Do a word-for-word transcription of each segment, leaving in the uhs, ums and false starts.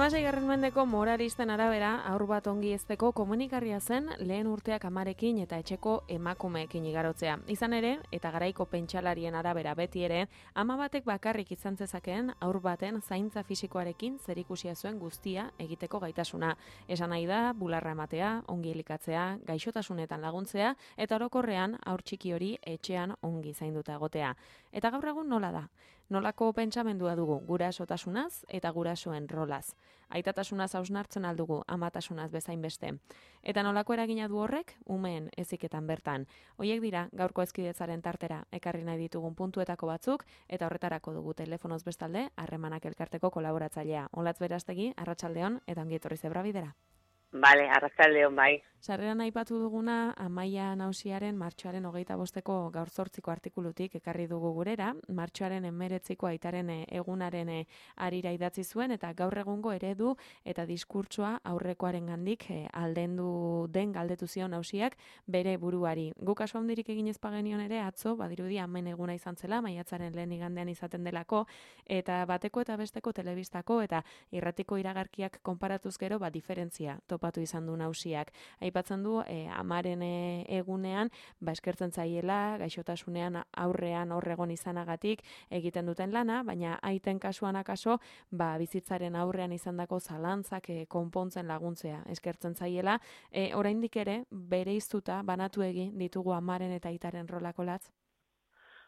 Hamaseigarren mendeko moralisten arabera, haur bat ongi hezteko komunikarria zen lehen urteak amarekin eta etxeko emakumeekin igarotzea. Izan ere, eta garaiko pentsalarien arabera beti ere, ama batek bakarrik izan zezakeen haur baten zaintza fisikoarekin zerikusia zuen guztia egiteko gaitasuna. Esan nahi da, bularra ematea, ongi elikatzea, gaixotasunetan laguntzea, eta orokorrean haur txiki hori etxean ongi zainduta egotea. Eta gaur egun nola da? Nolako pentsamendua dugu gurasotasunaz eta gurasoen rolaz. Aitatasunaz hausnartzen aldugu amatasunaz bezain beste. Eta nolako eragina du horrek umeen heziketan bertan. Hoiek dira gaurko hezkidetzaren tartera ekarri nahi ditugun puntuetako batzuk eta horretarako dugu telefonoz bestalde Harremanak elkarteko kolaboratzailea. Olatz Berastegi, arratsaldeon eta ongi etorri Zebra Bidera. Bale, arratsaldeon bai. Sarreran aipatu duguna Amaia Nausiaren martxoaren hogeita bosteko gaur zortziko artikulutik ekarri dugu gurera, martxoaren hemeretziko aitaren egunaren arira idatzi zuen eta gaur egungo eredu eta diskurtsoa aurrekoaren gandik aldendu den galdetu zion Nausiak bere buruari. Guk kasu handirik egin ez bagenion ere atzo, badirudi hemen eguna izan zela, maiatzaren lehen igandean izaten delako, eta bateko eta besteko telebistako eta irratiko iragarkiak konparatuz gero, ba, diferentzia topatu izan du Nausiak. Aipatzen du e, amaren e, egunean, ba, eskertzen zaiela, gaixotasunean aurrean horregon izanagatik egiten duten lana, baina aiten kasuan akaso, ba, bizitzaren aurrean izandako zalantzak e, konpontzen laguntzea eskertzen zaiela. E, oraindik ere, bereiztuta banatu egin ditugu amaren eta aitaren rolako latz?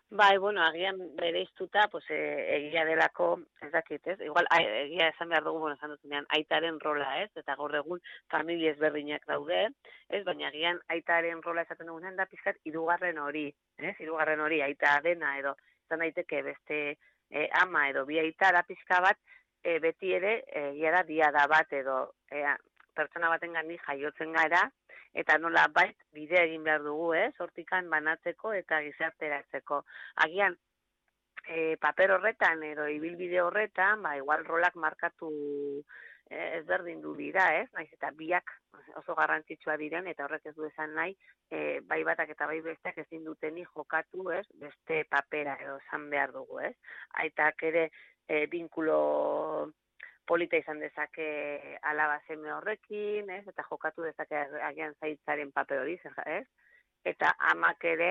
Bai, bueno, agian bereiztuta, pues, e, egia delako, ez dakit, ez? Igual, a, egia esan behar dugu, bueno, esan duzunean, aitaren rola, ez? Eta gaur egun familia ezberdinak daude, ez? Baina agian aitaren rola esaten dugunean da pizkat hirugarren hori, ez? Hirugarren hori, aita dena edo, izan daiteke beste e, ama edo bi aita da pizka bat, e, beti ere, egia da, diada bat edo, e, pertsona baten gani jaiotzen gara, eta nola bait bidea egin behar dugu, ez? Hortikan banatzeko eta gizarteratzeko. Agian, e, paper horretan edo ibilbide horretan, ba, igual rolak markatu e, ezberdin du dira, ez? Naiz eta biak oso garrantzitsua diren, eta horrek ez du esan nahi, e, bai batak eta bai besteak ezin duteni jokatu, ez? Beste papera edo esan behar dugu, ez? Aitak ere e, binkulo polita izan dezake alaba seme horrekin, ez? Eta jokatu dezake agian zaitzaren paper hori, ez? Eta amak ere,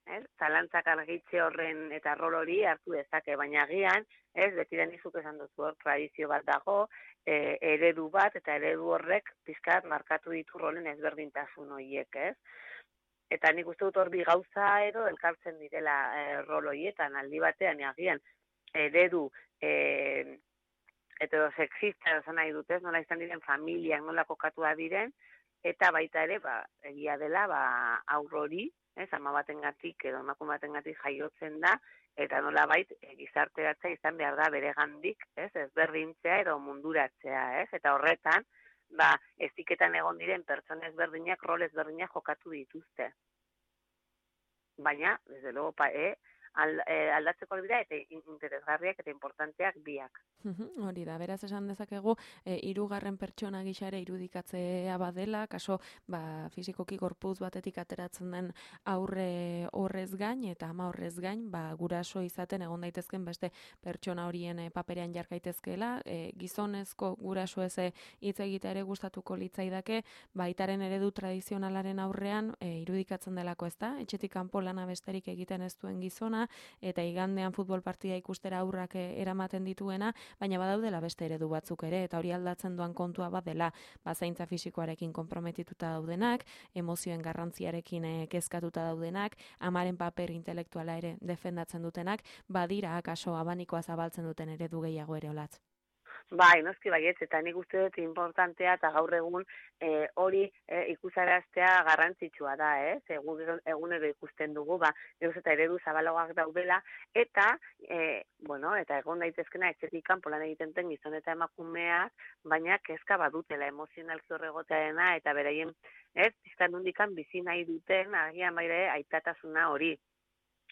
ez? Zalantzak argitze horren eta rol hori hartu dezake, baina agian, ez? Betiren izuk esan duzu hor, tradizio bat dago, e, eredu bat, eta eredu horrek pizkat markatu ditu rolen ezberdintasun horiek, ez? Eta nik uste dut hor bi gauza edo elkartzen direla e, rol horietan, aldi batean, agian, eredu, e, heterosexista esan nahi dutez, nola izan diren familiak nola kokatua diren, eta baita ere, ba, egia dela, ba, aurrori, ez, ama batengatik edo emakume batengatik jaiotzen da, eta nola bait, e, gizarteratzea izan behar da bere gandik, ez, ezberdintzea edo munduratzea, ez, eta horretan, ba, eziketan egon diren pertsona ezberdinak, rol ezberdinak jokatu dituzte. Baina, desde luego, pa, e, aldatzeko dira eta interesgarriak eta importanteak biak. Hori da, beraz esan dezakegu, e, hirugarren pertsona gisa ere irudikatzea badela, kaso ba, fizikoki gorputz batetik ateratzen den aurre horrez gain eta ama horrez gain, ba, guraso izaten egon daitezken beste pertsona horien e, paperean jarkaitezkeela, e, gizonezko guraso ez hitz egitea ere gustatuko litzaidake, baitaren eredu tradizionalaren aurrean e, irudikatzen delako, ezta? Etxetik kanpo lana besterik egiten ez duen gizona, eta igandean futbol partida ikustera aurrak eramaten dituena, baina badaudela beste eredu batzuk ere, eta hori aldatzen duan kontua bat dela, ba, zaintza fisikoarekin konprometituta daudenak, emozioen garrantziarekin eh, kezkatuta daudenak, amaren paper intelektuala ere defendatzen dutenak, badira akaso abanikoa zabaltzen duten eredu gehiago ere olatz. Bai, noski baietz, eta nik uste dut importantea eta gaur egun e, hori e, ikusaraztea garrantzitsua da, ez? Egun, egunero ikusten dugu, ba, geuz eta eredu zabalagoak daudela, eta, e, bueno, eta egon daitezkena etxetik kanpo lan egiten den gizon eta emakumeak, baina kezka badutela emozionalki horregotearena, eta beraien, ez, pizkan hundikan bizi nahi duten, agian baire, aitatasuna hori.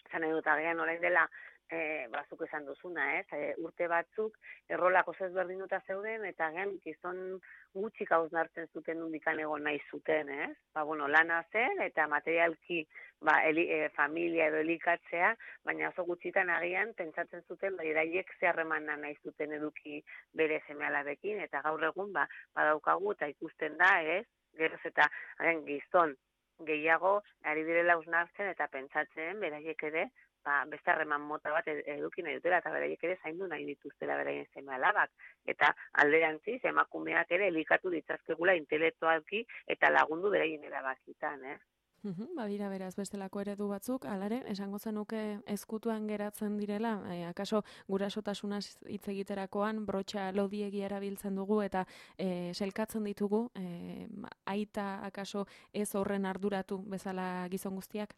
Zan nahi dut, agian orain dela, e, bazuk esan duzuna, ez? E, urte batzuk errolak oso ezberdinuta zeuden, eta gen gizon gutxik hausnartzen zuten undikan egon nahi zuten, ez? Ba, bueno, lana zen, eta materialki ba, eli, e, familia edo elikatzea, baina oso gutxitan agian pentsatzen zuten, ba, iraiek zeharremana nahi zuten eduki bere seme-alabekin, eta gaur egun, ba, badaukagu, eta ikusten da, ez? Geroz eta, agen, gizon gehiago, ari direla hausnartzen eta pentsatzen, beraiek ere, ba, beste harreman mota bat eduki nahi dutela, eta beraiek ere zaindu nahi dituztela beraien seme-alabak. Eta alderantziz, emakumeak ere elikatu ditzazkegula intelektualki eta lagundu beraien erabakitan, eh? Uhum, badira beraz bestelako eredu batzuk, alare, esango zenuke ezkutuan geratzen direla, e, akaso gurasotasunaz hitz egiterakoan brotxa lodiegi erabiltzen dugu eta e, selkatzen ditugu, e, aita akaso ez horren arduratu bezala gizon guztiak?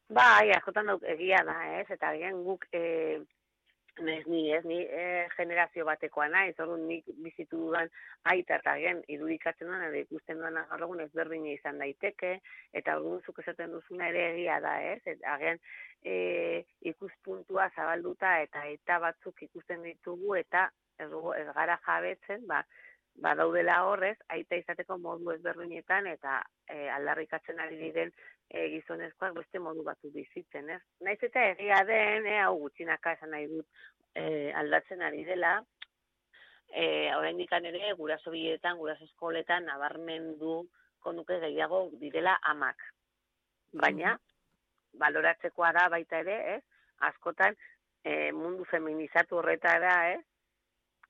Bai, askotan dut egia da, ez? Eta agian guk, e, ez ni, ez ni e, generazio batekoa naiz, orduan nik bizitu dudan aita eta agian irudikatzen duan, edo ikusten duan gaur egun ezberdina izan daiteke, eta orduan zuk esaten duzuna ere egia da, ez? Et, agian e, ikuspuntua zabalduta eta eta batzuk ikusten ditugu, eta ez, dugu, ez gara jabetzen, ba, badaudela horrez, aita izateko modu ezberdinetan, eta e, aldarrikatzen ari diren e, gizonezkoak beste modu batu bizitzen, ez? Naiz eta egia den, e, hau gutxinaka esan nahi dut e, aldatzen ari dela, e, oraindik ere guraso biletan, guraso eskoletan nabarmendu konuke gehiago direla amak. Baina, baloratzekoa da baita ere, ez? Askotan e, mundu feminizatu horretara, ez?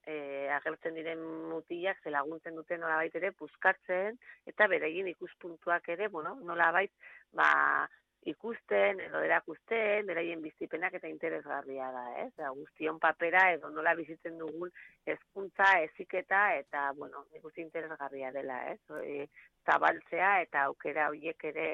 E, agertzen diren mutilak ze laguntzen duten nolabait ere puskatzen eta beraien ikuspuntuak ere, bueno, nolabait ba, ikusten edo erakusten, beraien bizipenak eta interesgarria da, ez? Da, guztion papera edo nola bizitzen dugun hezkuntza, heziketa eta, bueno, ikusi interesgarria dela, ez? E, zabaltzea eta aukera horiek ere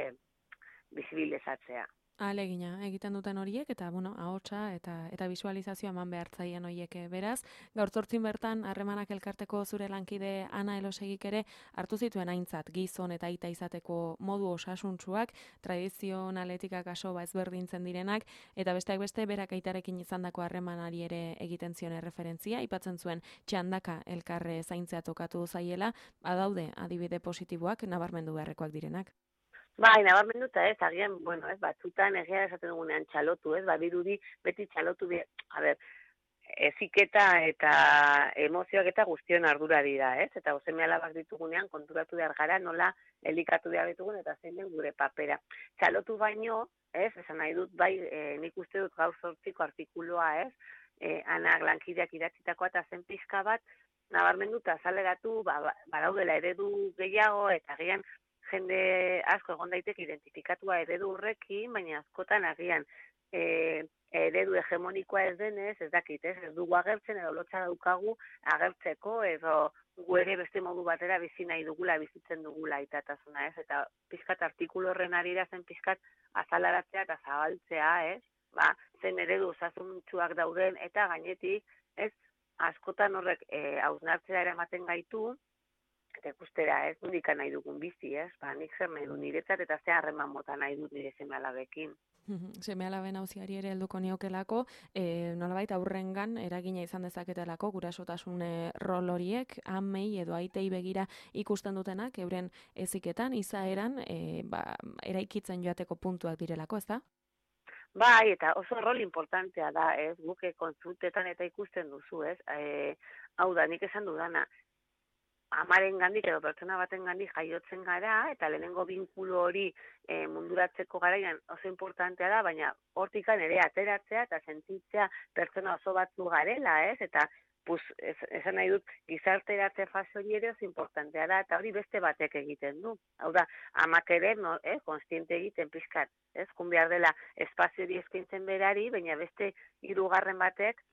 bizibilizatzea. Alegina, egiten duten horiek, eta, bueno, ahotsa eta eta visualizazioa eman behartzaien horiek beraz. Gaur zortzin bertan, harremanak elkarteko zure lankide Ana Elosegik ere hartu zituen aintzat gizon eta aita izateko modu osasuntsuak, tradizionaletik akaso ba ezberdintzen direnak, eta besteak beste berak aitarekin izandako harremanari ere egiten zion erreferentzia, aipatzen zuen txandaka elkarre zaintzea tokatu zaiela, badaude adibide positiboak nabarmendu beharrekoak direnak. Bai, nabarmenduta ez, agian, bueno, ez, batzutan egia esaten dugunean txalotu, ez, badirudi beti txalotu, a ber, eziketa eta emozioak eta guztion ardura dira, ez, eta seme alabak ditugunean konturatu behar gara, nola elikatu behar ditugun eta zein den gure papera. Txalotu baino, ez, esan nahi dut, bai, e, nik uste dut gaur zortziko artikuloa, ez, e, anak lankideak idatzitakoa eta zen pixka bat, nabarmenduta azaleratu, ba, badaudela eredu gehiago, eta agian, jende asko egon daiteke identifikatua eredu horrekin, baina askotan agian e, eredu hegemonikoa ez denez, ez dakit, ez, ez dugu agertzen edo lotxa daukagu agertzeko edo gu ere beste modu batera bizi nahi dugula, bizitzen dugula itatasuna, ez, eta pizkat artikulu horren arira zen pizkat azalaratzea eta zabaltzea, ez, ba, zen eredu osasuntsuak dauden eta gainetik, ez, askotan horrek e, hausnartzea eramaten gaitu, eta ikustera, ez, nundika nahi dugun bizi, ez, ba, nik zer nahi du niretzat eta ze harreman mota nahi dut nire seme-alabekin. Seme-alaben auziari ere helduko niokelako, e, nolabait aurrengan eragina izan dezaketelako gurasotasun rol horiek, amei edo aitei begira ikusten dutenak, euren heziketan, izaeran, e, ba, eraikitzen joateko puntuak direlako, ez da? Bai, eta oso rol importantea da, ez, guke kontsultetan eta ikusten duzu, ez, e, hau da, nik esan dudana, amaren gandik edo pertsona baten gandik jaiotzen gara, eta lehenengo binkulu hori e, munduratzeko garaian oso importantea da, baina hortikan ere ateratzea eta sentitzea pertsona oso batzu garela, ez? Eta pues, ez, esan nahi dut gizarteratze fase hori ere oso importantea da, eta hori beste batek egiten du. Hau da, amak ere, no, eh, konstiente egiten pizkat, ez? Kun behar dela espazio hori eskaintzen berari, baina beste hirugarren batek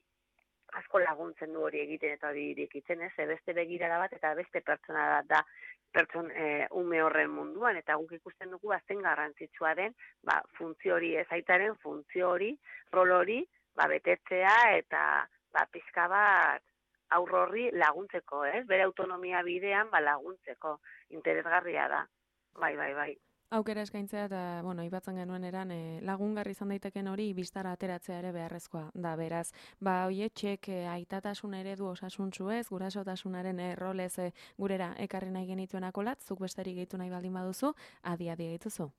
asko laguntzen du hori egiten eta hori irekitzen, ez? Beste begirada bat eta beste pertsona bat da pertson e, ume horren munduan, eta guk ikusten dugu azten garrantzitsua den, ba, funtzio hori, ez aitaren funtzio hori, rol hori, ba, betetzea eta ba, pizka bat aurro horri laguntzeko, ez? Bere autonomia bidean ba, laguntzeko, interesgarria da, bai, bai, bai. Aukera eskaintzea eta, bueno, aipatzen genuen eran, e, lagungarri izan daiteken hori bistara ateratzea ere beharrezkoa da, beraz. Ba, hoietxek e, aitatasun eredu osasuntsu ez, gurasotasunaren errolez e, gurera ekarri nahi genituenako lat, zuk besterik gehitu nahi baldin baduzu, adi-adi gaituzu.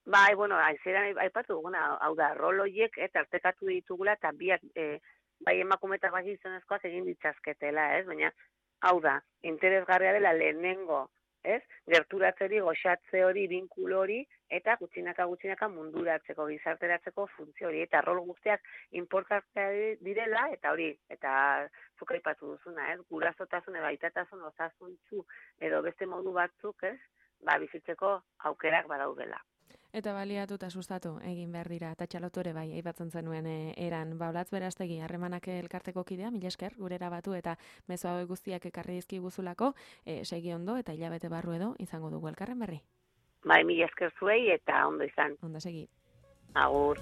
Bai, bueno, aizeran aipatu duguna, hau da, rol horiek eta artekatu ditugula eta biak, e, bai emakume eta bai gizonezkoak egin ditzazketela, ez? Baina, hau da, interesgarria dela lehenengo, ez? Gerturatzeri, goxatze hori, binkulo hori, eta gutxinaka gutxinaka munduratzeko, gizarteratzeko funtzio hori, eta rol guztiak inportantea direla, eta hori, eta zuk aipatu duzuna, ez? Gurasotasun edo aitatasun osasuntsu edo beste modu batzuk, ez? Ba, bizitzeko aukerak badaudela. Eta baliatu eta sustatu egin behar dira, eta txalotore bai, aipatzen zenuen e, eran. Baulatz Beraztegi, harremanak elkarteko kidea, mila esker, gurera batu eta mezu hauek guztiak ekarri dizkiguzulako, e, segi ondo eta hilabete barru edo izango dugu elkarren berri. Bai, mila esker zuei eta ondo izan. Ondo segi. Agur.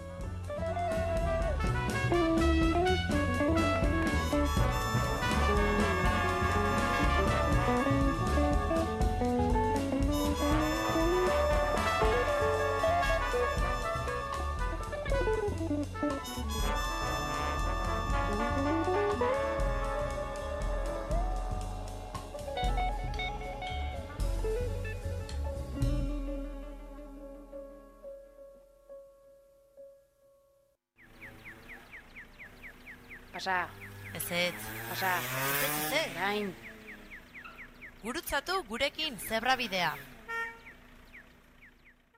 Pasa. Ezetz. Pasa. Ezetz, ezetz. Gain. Gurutzatu gurekin zebrabidea.